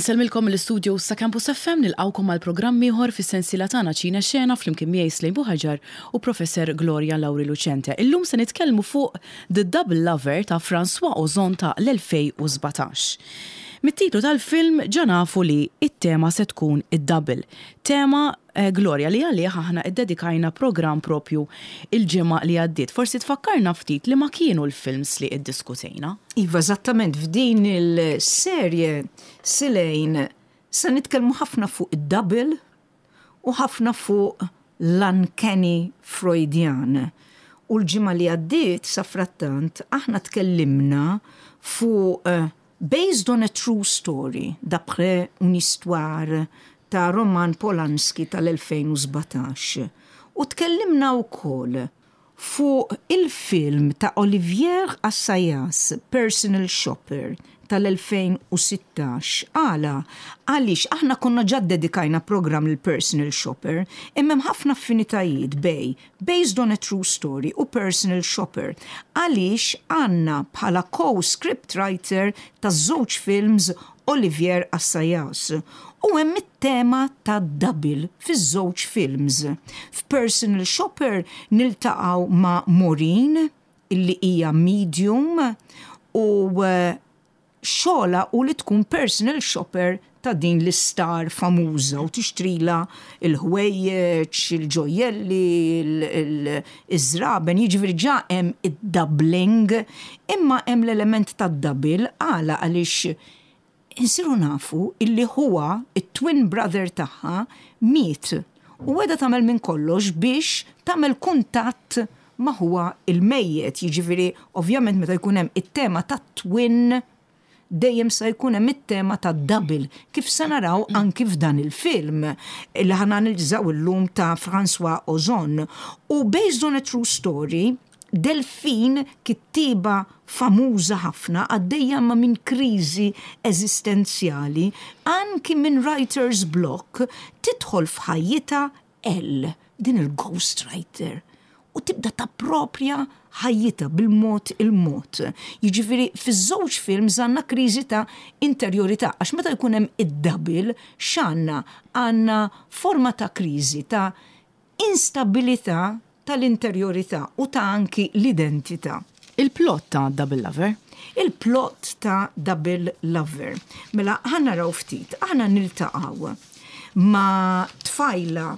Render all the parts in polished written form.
Insellmilkom mill-istudios ta' Campus FM nilqgħukom għal programm ieħor fis-sensiela tagħna Ċine Xena flimkien miegħi Slejn Buħaġar u Professor Gloria Lauri Lucente. Illum se nitkellmu fuq The Double Lover ta' François Ozon ta' l-2017. Mit-titlu tal-film ġa nafu li t-tema se tkun id-double. Tema Gloria li għalih aħna ddedikajna programm propju l-ġimgħa li għaddiet. Forsi tfakkarna ftit liema kienu l-films li ddiskutejna? Iva, eżattament, f'din il-serje Silejn se nitkellmu ħafna fuq id-double u ħafna fuq l-uncanny Freudian. U l-ġimgħa li għaddiet, safrattant, aħna tkellimna fuq Based on a True Story, D'après une histoire ta' Roman Polanski tal-2017 u tkellimna wkoll fuq il-film ta' Olivier Assayas Personal Shopper tal-2016. Għala? Għaliex aħna konna ġa ddedikajna programm lil Personal Shopper imma hemm ħafna affinitajiet bejn Based on a True Story u Personal Shopper għaliex għandna bħala co-script writer taż-żewġ films Olivier Assayas u hemm it-tema tad-double fiż-żewġ films. F'Personal Shopper niltaqgħu ma' Maureen illi hija medium u xogħolha hu li tkun personal shopper ta' din l-istar famuża u tixtrilha l-ħwejjeġ, il-ġojjelli, iż-żraben, jiġifieri ġa hemm id-doubling, imma hemm l-element tad-double għala għaliex insiru nafu illi ħuha, it-twin brother tagħha, miet u qiegħda tagħmel minn kollox biex tagħmel kuntatt ma' ħuha l-mejjet, jiġifieri ovvjament meta jkun hemm it-tema tat-twin dejjem se jkun hemm it-tema tad-double, kif se naraw anki f'dan il-film li ħa nanalizzaw illum ta' François Ozon. U based on a true story, Delphine, kittieba famuża ħafna, għaddejja imma minn kriżi eżistenzjali, anki minn writer's block, tidħol f'ħajjitha Elle, din il-ghost writer, u tibda tapproprja ħajjitha bil-mod il-mod. Jiġifieri fiż-żewġ films għandna kriżi ta' interjorità għax meta jkun hemm id-double x'għandna? Għandna forma ta' kriżi ta' instabilità tal-interjorità u ta' anki l-identità. Il-plot ta' Double Lover. Il-plot ta' Double Lover. Mela ħa naraw ftit. Aħna niltaqgħu ma' tfajla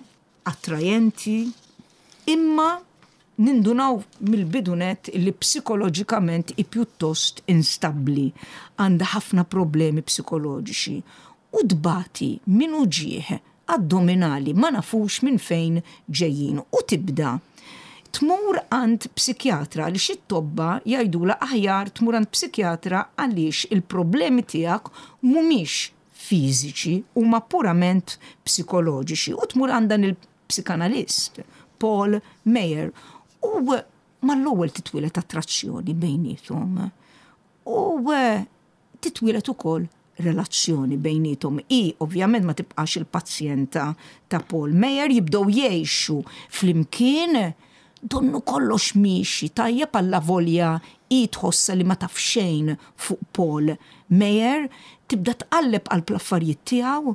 attrajenti imma nindunaw mill-bidu nett li psikoloġikament hi pjuttost instabbli, għandha ħafna problemi psikoloġiċi u tbati minn uġigħ addominali ma nafux minn fejn ġejjin u tibda tmur għand psikjatra għaliex it-tobba jgħidulha aħjar tmur għand psikjatra għaliex il-problemi tiegħek mhumiex fiżiċi huma purament psikoloġiċi u tmur għand dan il-psikanalist Paul Meyer u mal-ewwel titwieled attrazzjoni bejniethom u titwieled ukoll relazzjoni bejniethom. Hi ovvjament ma tibqax il-pazjenta ta' Paul Meyer, jibdew jgħixu flimkien, donnu kollox miexi tajjeb allavolja hi tħossha li ma taf xejn fuq Paul Meyer, tibda tqalleb qalb l-affarijiet tiegħu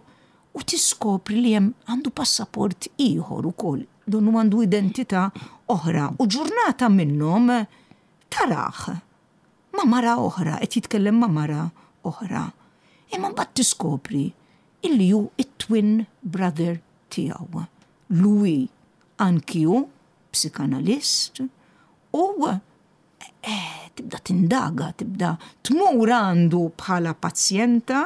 u tiskopri li hemm għandu passaport ieħor ukoll, donnu għandu identità oħra u ġurnata minnhom tarah ma' mara oħra, qed jitkellem ma' mara oħra. Imma mbagħad tiskopri illi hu t-twin brother tiegħu. Louis anki hu psikanalist u eh, tibda tindaga, tibda tmur għandu bħala pazjenta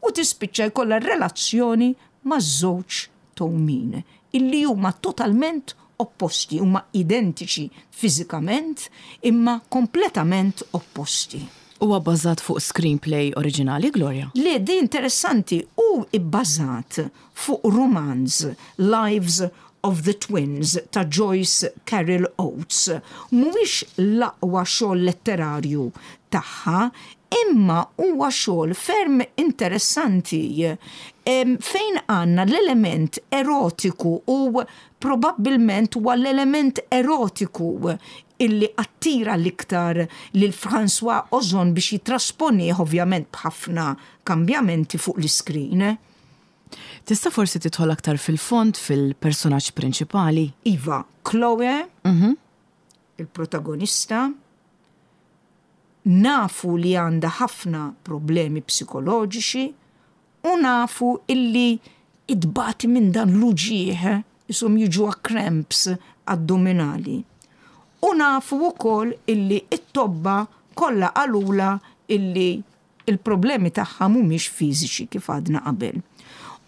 u tispiċċa jkollha relazzjoni maż-żewġ tewmin, illi huma totalment opposti, huma identiċi fiżikament imma kompletament opposti. Huwa bbażat fuq screenplay oriġinali, Gloria? Le, di interessanti, hu bbażat fuq rumanz, Lives of the Twins ta' Joyce Carol Oates. Mhuwiex l-aqwa xogħol letterarju tagħha, Imma huwa xogħol ferm interessanti fejn għandna l-element erotiku u probabbilment huwa l-element erotiku illi attira l-iktar lil François Ozon biex jittrasponih ovvjament b'ħafna kambjamenti fuq l-iskrin. Tista' forsi tidħol aktar fil-fond fil-personaġġ prinċipali? Iva, Chloe, il-protagonista, nafu li għandha ħafna problemi psikoloġiċi u nafu illi tbati minn dan l-uġigħ, ishom jiġuha cramps addominali. U nafu wkoll illi t-tobba kollha qalulha illi il-problemi tagħha mhumiex fiżiċi kif għadna qabel.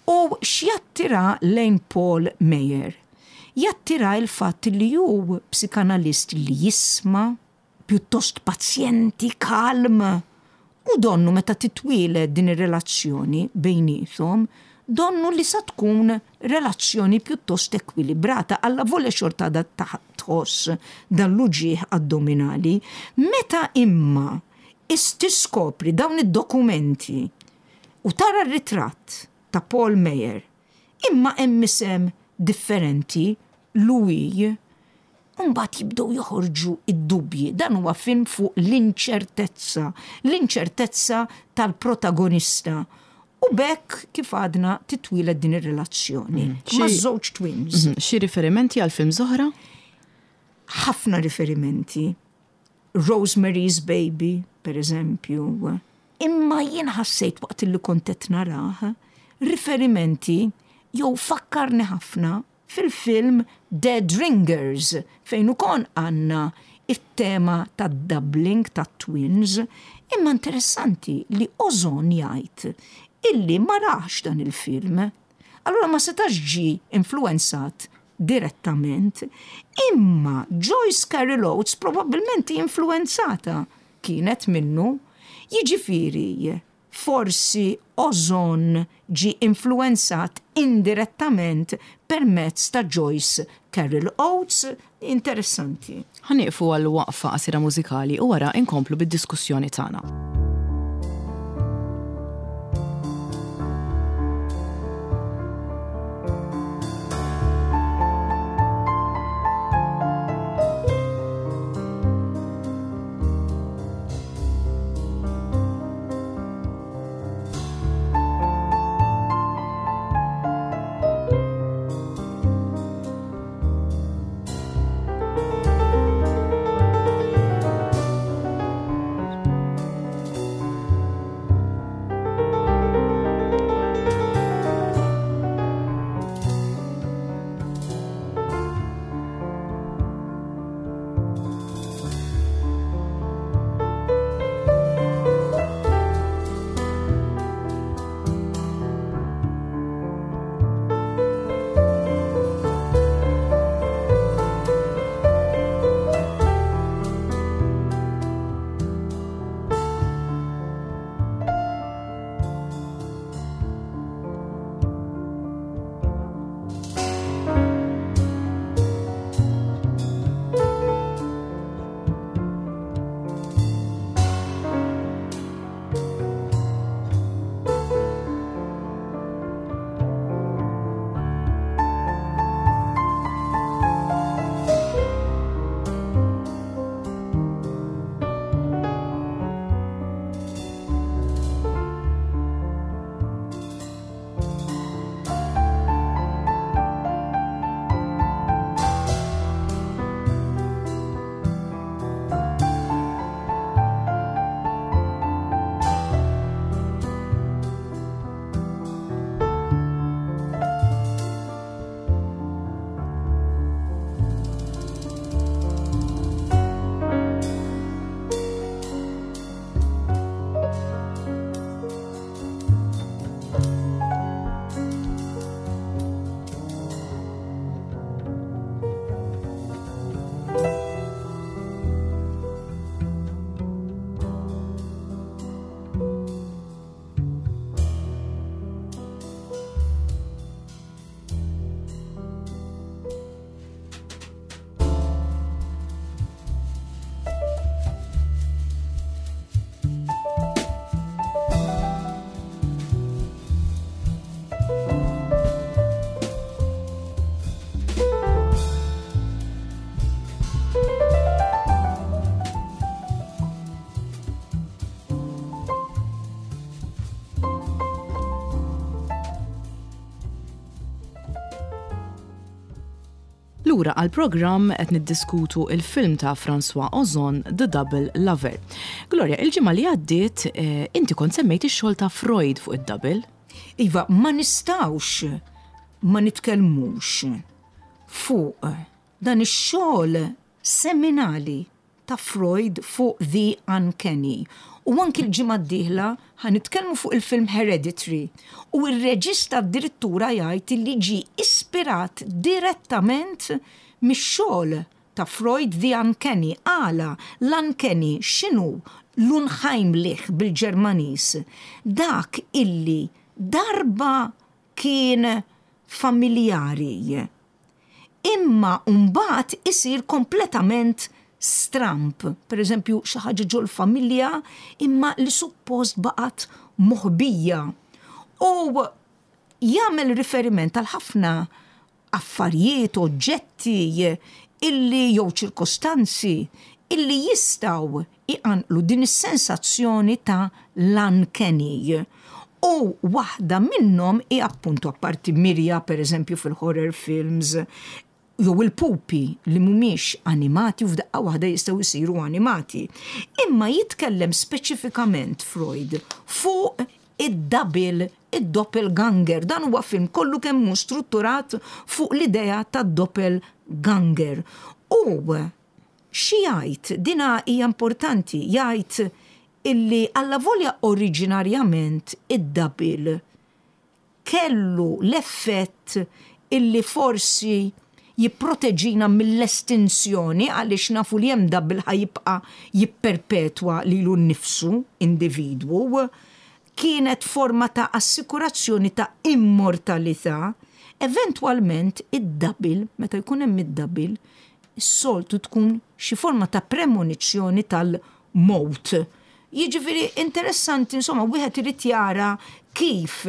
U x'jattira lejn Paul Meyer? Jattira il-fatt li hu psikanalist li jisma', pjuttost pazjenti, kalm, u donnu meta titwieled din ir-relazzjoni bejniethom, donnu li sa tkun relazzjoni pjuttost ekwilibrata, allavolja xorta għadha tħoss dan l-uġigħ addominali. Meta imma tiskopri dawn id-dokumenti u tara r-ritratt ta' Paul Meyer, imma hemm isem differenti, Louis, u mbagħad jibdew joħorġu d-dubji. Dan huwa film fuq l-inċertezza, l-inċertezza tal-protagonista. U b'hekk kif għadna titwieled din ir-relazzjoni mm. ma' żewġ twins. Mhm. Xi riferimenti għal film oħra? Ħafna riferimenti. Rosemary's Baby, per eżempju. Imma jien ħassejt waqt li kont qed narah riferimenti jew fakkarni ħafna fil-film Dead Ringers fejn ukoll għandna it-tema tad-doubling tat-twins, imma interessanti li Ozon jgħid illi ma rax dan il-film. Allura ma setax ġie influwenzat direttament, imma Joyce Carol Oates probabbilment influwenzata kienet minnu, jiġifieri forsi Ozon ġie influwenzat indirettament permezz ta' Joyce Carol Oates, interessanti. Ħa nieqfu għal waqfa qasira mużikali u wara inkomplu bid-diskussjoni tagħna. Lura għall-programm qed niddiskutu il-film ta' François Ozon, The Double Lover. Gloria, il-ġimgħa li għaddiet eh, inti kont semmejt ix-xogħol ta' Freud fuq id-double. Iva, ma nistgħux ma nitkellmux fuq dan ix-xogħol seminali ta' Freud fuq The Uncanny. U anki l-ġimgħa d-dieħla ħa nitkellmu fuq il-film Hereditary u r-reġista addirittura jgħid li ġie ispirat direttament mix-xogħol ta' Freud The Uncanny. Għala? L-uncanny x'inhu? L-unheimlich bil-Ġermaniż. Dak illi darba kien familjari imma mbagħad isir kompletament stramb. Per eżempju, xi ħaġa ġol-familja imma li suppost baqgħet moħbija. U jagħmel riferiment għal ħafna affarijiet, oġġetti illi jew ċirkostanzi illi jistgħu iqanqlu din is-sensazzjoni ta' l-uncanny. U waħda minnhom hi appuntu apparti mirja pereżempju fil-horror films, jew il-pupi li mhumiex animati u f'daqqa waħda jistgħu jsiru animati. Imma jitkellem speċifikament Freud fuq id-double, id-doppelganger. Dan huwa film kollu kemm hu strutturat fuq l-idea tad-doppelganger. U Xi jgħid? Dina hija importanti, jgħid illi allavolja oriġinarjament id-double kellu l-effett illi forsi jipproteġina mill-estinzjoni għaliex nafu li hemm double ħa jibqa' jipperpetwa lilu nnifsu, individwu, kienet forma ta' assikurazzjoni ta' immortalità, eventwalment id-double, meta jkun hemm id-double, is-soltu tkun xi forma ta' premonizzjoni tal-mewt. Jiġifieri interessanti, insomma, wieħed irid jara kif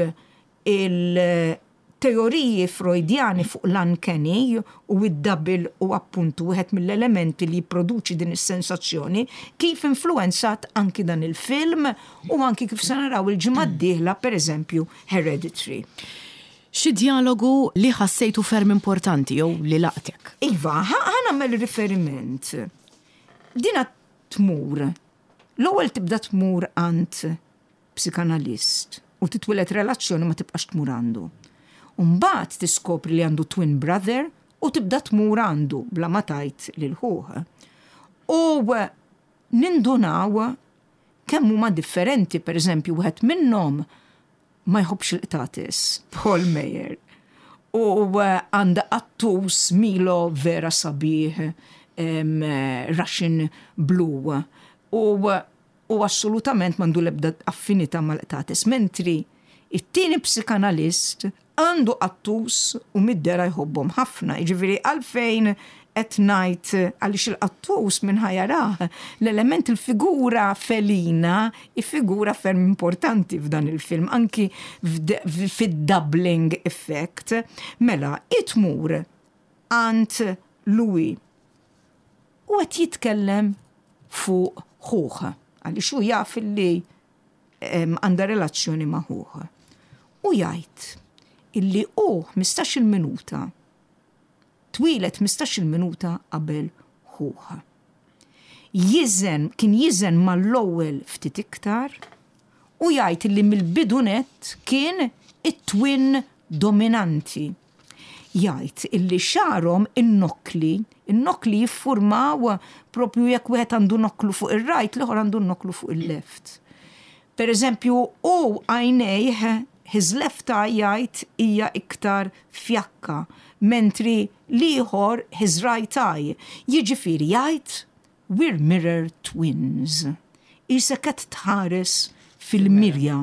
il-teoriji Freudjani fuq l-uncanny u d-double u appuntu wieħed mill-elementi li jipproduċi din is-sensazzjoni, kif influwenzat anki dan il-film u anki kif se naraw il-ġimgħa d-dieħla, pereżempju, Hereditary. Xi djalogu li ħassejtu ferm importanti jew li laqtek? Iva, ħa nagħmel riferiment. Dina tmur, l-ewwel tibda tmur għand psikanalist u titwieled relazzjoni ma tibqax tmur għandu. U mbagħad tiskopri li għandu twin brother u tibda tmur għandu bla ma tgħid lil ħuh. U nindunaw kemm huma differenti, pereżempju wieħed minnhom ma jħobbx il-qtates, Paul Meyer. U għandha qattus Milo vera sabiħ, Russian Blue. U u assolutament m'għandu l-ebda affinità mal-qtates, mentri it-tieni psikanalist Għandu qattus u mid-dehra jħobbhom ħafna, jiġifieri għalfejn qed ngħid għaliex il-qattus min ħa jarah, l-element il-figura felina hi figura ferm importanti f'dan il-film, anki fid-doubling effect. Mela, hi tmur għand Louis u qed jitkellem fuq ħuh għaliex hu jaf illi għandha relazzjoni ma' ħuh. U jgħid illi hu 15-il minuta twieled 15-il minuta qabel ħuh. Jiżen, kien jiżen mal-ewwel ftit iktar u jgħid illi mill-bidu nett kien it-twin dominanti. Jgħid illi xagħarhom in-nokkli, in-nokkli jiffurmaw propju jekk wieħed għandu nokklu fuq ir-right, l-ieħor għandu nokklu fuq il-left. Per eżempju, hu għajnejh, his left eye jgħid hija iktar fjakka, mentri l-ieħor his right eye. Jiġifieri jgħid We're mirror twins. Qisek qed tħares fil-mirja.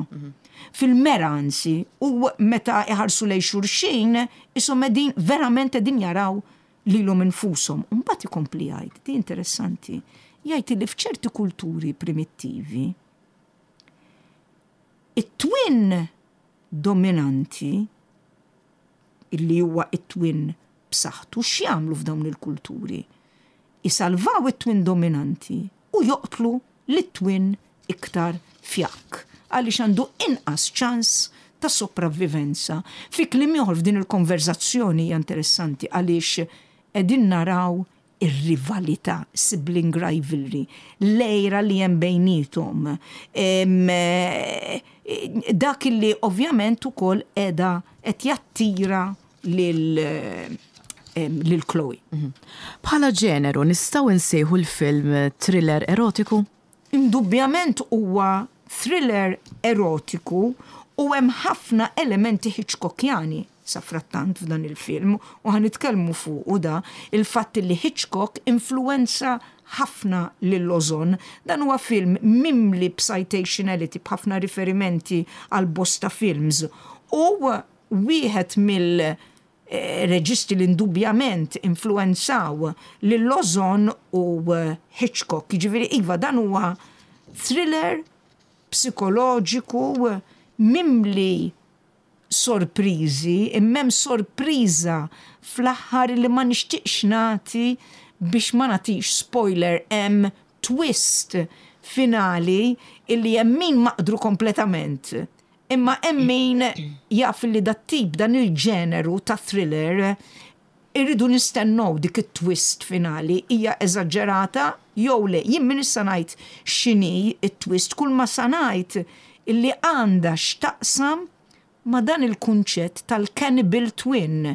Fil-mera anzi, u meta iħarsu lejn xulxin, qishom qegħdin verament qegħdin jaraw lilhom infushom. U mbagħad ikompli jgħid, di interessanti, jgħid li f'ċerti kulturi primittivi, it-twin dominanti, illi huwa it-twin b'saħħtu, x'jagħmlu f'dawn il-kulturi? Isalvaw it-twin dominanti u joqtlu lit-twin iktar fjakk għaliex għandu inqas ċans ta' sopravvivenza. Fi kliem ieħor f'din il-konverżazzjoni hija interessanti għaliex qegħdin naraw ir-rivalità, sibling rivalry, l-għira li hemm bejniethom. Dak li ovvjament ukoll qiegħda qed jattira lil lil Chloe. Bħala ġeneru nistgħu nsejħu l-film thriller erotiku? Indubbjament huwa thriller erotiku u hemm ħafna elementi Hitchcockjani safrattant f'dan il-film u ħa nitkellmu fuqu da, il-fatt li Hitchcock influwenza ħafna lil Ozon. Dan huwa film mimli b'citationality, b'ħafna riferimenti għal bosta films u wieħed mill reġisti li indubjament influwenzaw lil Ozon u Hitchcock. Jiġifieri iva dan huwa thriller psikoloġiku mimli sorpriżi, imma hemm sorpriża fl-aħħar li ma nixtieqx nagħti biex ma nagħtix spoiler, hemm twist finali illi hemm min maqdru kompletament. Imma hemm min jaf li dat-tip, dan il-ġeneru ta' thriller irridu nistennew dik it-twist finali hija eżaġġerata jew le. Jien m'iniex sa ngħid x'inhi t-twist, kull ma sa ngħid illi għandha x'taqsam ma' dan il-kunċett tal-cannibal twin,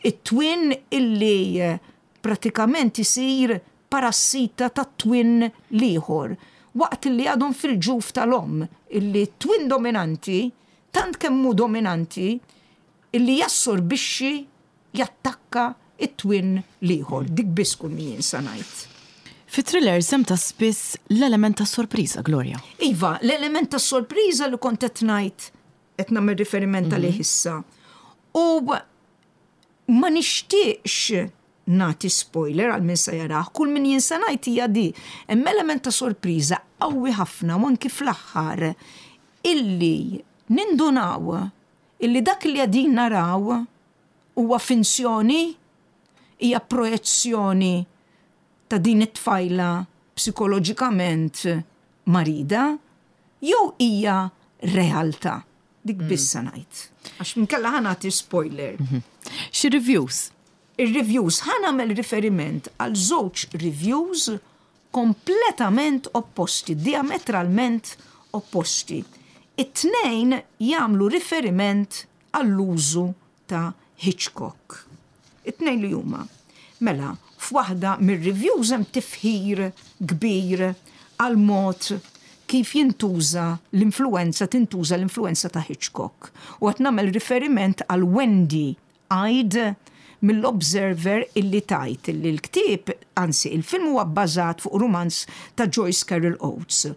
it-twin illi pratikament isir parassita tat-twin l-ieħor waqt illi għadhom fil-ġuf tal-omm, illi t-twin dominanti tant kemm hu dominanti illi jassorbixxi, jattakka t-twin l-ieħor. Dik biss kull min jien sa ngħid. Fi thrillers hemm ta' spiss l-element tas-sorpriża, Gloria. Iva, l-element tas-sorpriża li kont qed ngħid, qed nagħmel riferiment għalih issa. U ma nixtieqx nagħti spoiler għal min se jarah, kull min jien se ngħid hija di. Hemm element ta' sorpriża qawwi ħafna u anki fl-aħħar illi nindunaw illi dak li qegħdin naraw huwa finzjoni, hija projezzjoni ta' din it-tfajla psikoloġikament marida, jew hija realtà. Dik biss se ngħid. Għax inkella ħa nagħti spoiler. Xi reviews? Ir-reviews ħa nagħmel riferiment għal żewġ reviews kompletament opposti, diametralment opposti. It-tnejn jagħmlu riferiment għall-użu ta' Hitchcock. It-tnejn li huma. Mela, f'waħda mir-reviews hemm tifħir kbir għall-mod kif jintuża l-influwenza, tintuża l-influwenza ta' Hitchcock. U qed nagħmel riferiment għal Wendy Għid mill-Observer illi tgħid illi l-ktieb, anzi il-film huwa bbażat fuq rumanz ta' Joyce Carol Oates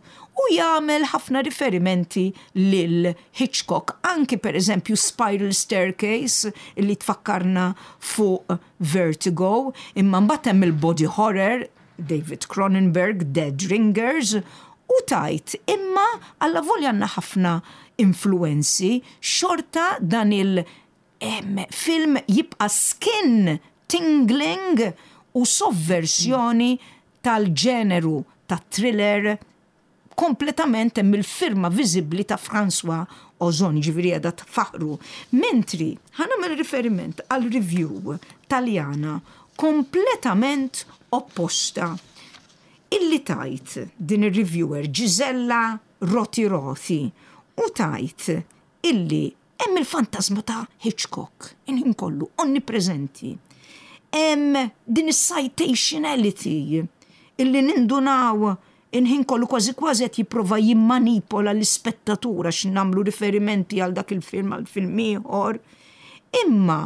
u jagħmel ħafna riferimenti lil Hitchcock, anki per eżempju Spiral Staircase illi tfakkarna fuq Vertigo, imma mbagħad hemm il-body horror, David Cronenberg, Dead Ringers, u tgħid imma allavolja għandna ħafna influwenzi, xorta dan il- Film jibqa' skin tingling u sovversjoni tal-ġeneru tat-thriller kompletament hemm il-firma viżibbli ta' François Ozon, jiġifieri qiegħda tfaħħru. Mentri ħa nagħmel riferiment għal review Taljana kompletament opposta illi tgħid din ir-reviewer Gisella Rotiroti u tgħid illi Hemm il-fantażma ta' Hitchcock, il-ħin kollu, onnipreżenti. Hemm din is-citationality illi nindunaw il-ħin kollu kważi kważi qed jipprova jimmanipola l-ispettatur għax nagħmlu riferimenti għal dak il-film għal film ieħor. Imma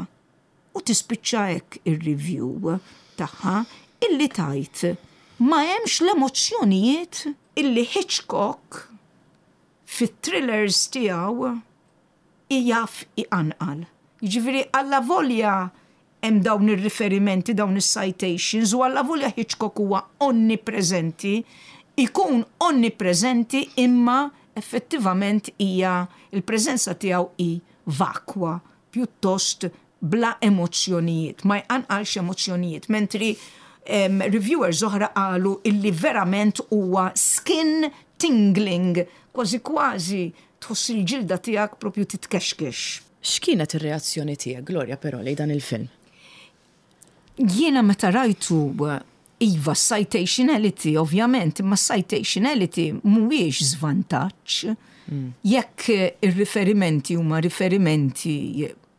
u tispiċċa hekk ir-review tagħha illi tgħid ma hemmx l-emozzjonijiet illi Hitchcock fit-thrillers tiegħu jaf iqanqal. Jiġifieri allavolja hemm dawn ir-riferimenti, dawn is-citations u allavolja Hitchcock huwa onnipreżenti, ikun onnipreżenti imma effettivament hija l-preżenza tiegħu hi vakwa, pjuttost bla emozzjonijiet, ma jqanqalx emozzjonijiet, mentri reviewers oħra qalu illi verament huwa skin tingling, kważi kważi tħoss il-ġilda tiegħek propju titkexkex. X'kienet ir-reazzjoni tiegħek, Gloria, però lejn dan il-film? Jiena meta rajtu iva citationality ovvjament, imma citationality mhuwiex żvantaġġ. Jekk ir-riferimenti huma riferimenti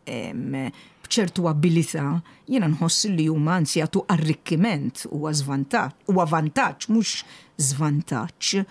b'ċertu abilità, jiena nħoss li huma anzi jagħtu arrikkiment huwa żvantaġġ, huwa vantaġġ mhux żvantaġġ.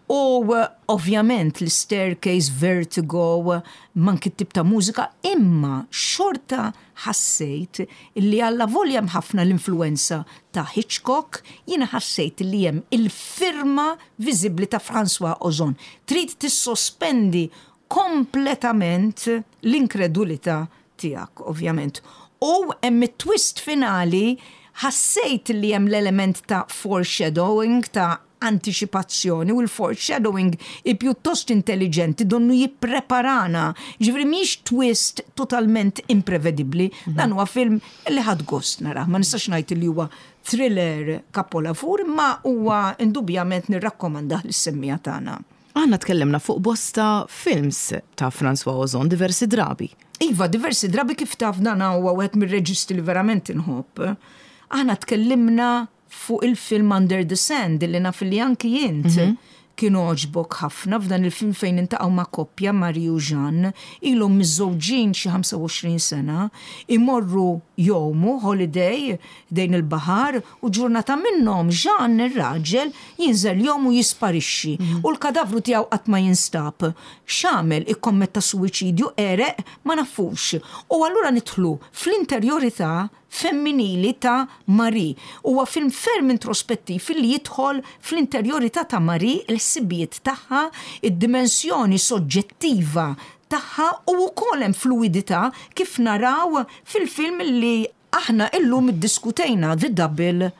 U ovvjament l-staircase, vertigo, manki t-tip ta' mużika, imma xorta ħassejt li allavolja hemm ħafna l-influwenza ta' Hitchcock, jiena ħassejt li hemm il-firma viżibbli ta' François Ozon. Trid tissospendi kompletament l-inkredulità tiegħek, ovvjament. U hemm it-twist finali, ħassejt li hemm l-element ta' foreshadowing, ta' antiċipazzjoni u l-foreshadowing hi pjuttost intelliġenti donnu jippreparana. Ġifieri mhijiex twist totalment imprevedibbli. Dan huwa film li ħadt gost narah. Ma nistax ngħid li huwa thriller kapolavur imma huwa indubjament nirrakkomandah lis-semmiegħa tagħna. Aħna tkellimna fuq bosta films ta' François Ozon diversi drabi. Iva, diversi drabi kif taf dan huwa wieħed mir-reġisti li verament inħobb. Aħna tkellimna fuq il-film Under the Sand li naf li anki int kien għoġbok ħafna f'dan il-film fejn intaqgħu ma' koppja Marie u Jean ilhom miżżewġin xi 25 sena, imorru jgħumu holiday ħdejn il-baħar u ġurnata minnhom Jean ir-raġel jinżel jgħum u jisparixxi u l-kadavru tiegħu qatt ma jinstab. X'għamel? Ikkommetta suwiċidju, għereq? Ma nafux. U allura nidħlu fl-interjorità femminili ta' Marie. Huwa film ferm introspettiv illi jidħol fl-interjorità ta' Marie, il-ħsibijiet tagħha, id-dimensjoni soġġettiva tagħha u wkoll hemm fluwidità kif naraw fil-film li aħna illum iddiskutejna The Double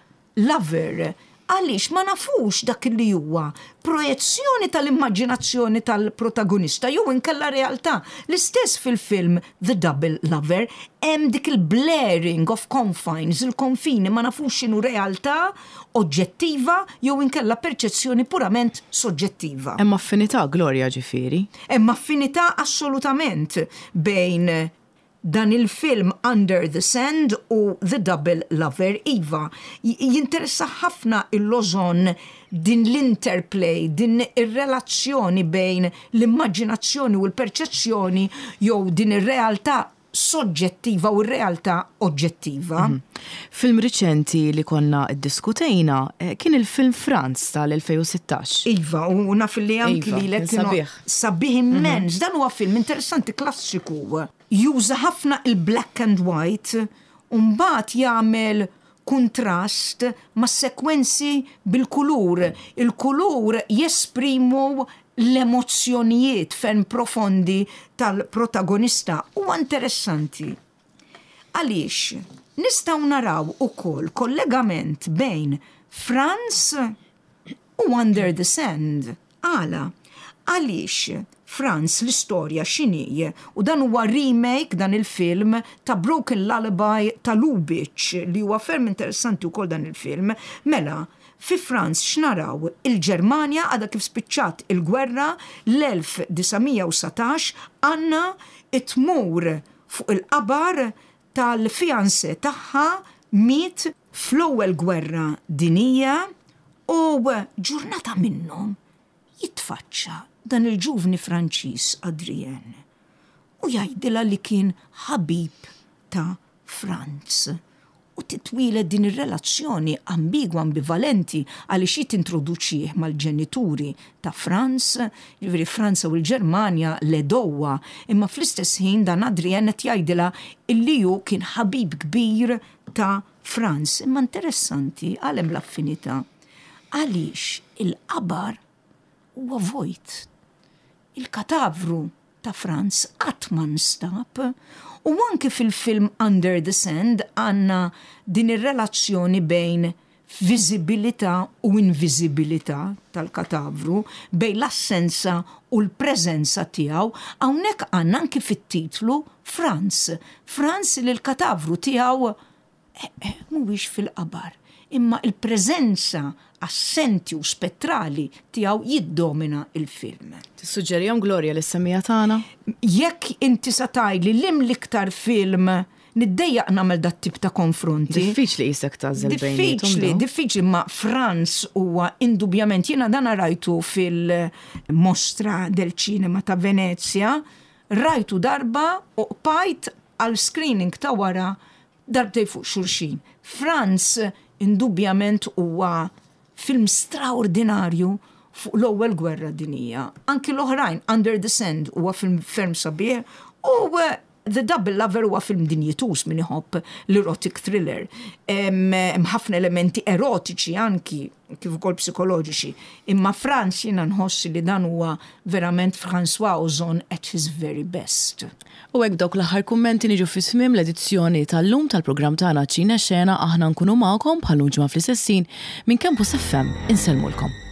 Lover. Għaliex ma nafux dak li huwa projezzjoni tal-immaġinazzjoni tal-protagonista jew inkella realtà. L-istess fil-film The Double Lover, hemm dik il-blurring of confines, il-konfini ma nafux x'inhu realtà oġġettiva jew inkella perċezzjoni purament soġġettiva. Hemm affinità, Gloria, ġifieri? Hemm affinità assolutament bejn Dan il-film Under the Sand u The Double Lover, iva, jinteressah ħafna il-Ozon din l-interplay, din ir-relazzjoni bejn l-immaġinazzjoni u l-perċezzjoni jew din ir-realtà soġġettiva u r-realtà oġġettiva. Film riċenti li konna ddiskutejna kien il-film Franz tal-2016. Iva, u naf li anki lilek kien sabiħ. Sabiħ immens. Dan huwa film interessanti klassiku. Juża ħafna il-black and white u mbagħad jagħmel kuntrast mas-sekwenzi bil-kulur. Il-kulur jesprimu l-emozzjonijiet ferm profondi tal-protagonista. Huwa interessanti għaliex nistgħu naraw ukoll kollegament bejn Franz u Under the Sand. Għala? Għaliex Franz l-istorja x'inhi? U dan huwa remake dan il-film ta' Broken Lullaby ta' Lubitsch li huwa ferm interessanti wkoll dan il-film. Mela, fi Franz x'naraw? Il-Ġermanja għadha kif spiċċat il-gwerra l-1919 Anna tmur fuq il-qabar tal-fiancé tagħha miet fl-Ewwel Gwerra Dinjija u ġurnata minnhom jitfaċċa dan il-ġuvni Franċiż Adrien u jgħidilha li kien ħabib ta' Franz u titwieled din ir-relazzjoni ambigwa, ambivalenti għaliex hi tintroduċih mal-ġenituri ta' Franz, jiġifieri Franza u l-Ġermanja l-għedewwa, imma fl-istess ħin dan Adrien qed jgħidilha illi hu kien ħabib kbir ta' Franz. Imma interessanti għal hemm l-affinità. Għaliex il-qabar huwa vojt. Il-katavru ta' Franz qatt ma nstab u anki fil-film Under the Sand għandna din ir-relazzjoni bejn viżibilità u inviżibilità tal-katavru, bejn l-assenza u l-preżenza tiegħu. Hawnhekk għandna anki fit-titlu Franz. Franz li l-katavru tiegħu mhuwiex fil-qabar, imma l-preżenza assenti u spettrali tiegħu jiddomina l-film. Tissuġġerihom Gloria lis-semmiegħa tagħna? Jekk inti sa tgħidli liem l-iktar film Niddejjaq nagħmel dat-tip ta' konfronti. Diffiċli qisek tagħżel bejniethom. Diffiċli, diffiċli, ma Franz huwa indubjament jiena dan rajtu fil-Mostra del Cinema ta' Venezia, rajtu darba u qpajt għal screening ta' wara darbtej fuq xulxin. Franz indubjament huwa Film straordinarju fuq l-Ewwel Gwerra Dinjija. Anki l-oħrajn, Under the Sand huwa film ferm sabiħ u The Double Lover huwa film dinjituż min iħobb l-erotic thriller. Hemm ħafna elementi erotiċi anki kif ukoll psikoloġiċi. Imma Franz jiena nħoss li dan huwa verament François Ozon at his very best. U hekk b'dawk l-aħħar kummenti niġu fi tmiem l-edizzjoni tal-lum tal-programm tagħna Ċine Xena aħna nkunu magħkom bħal-lum ġimgħa fl-istess ħin minn Campus FM insellmulkom.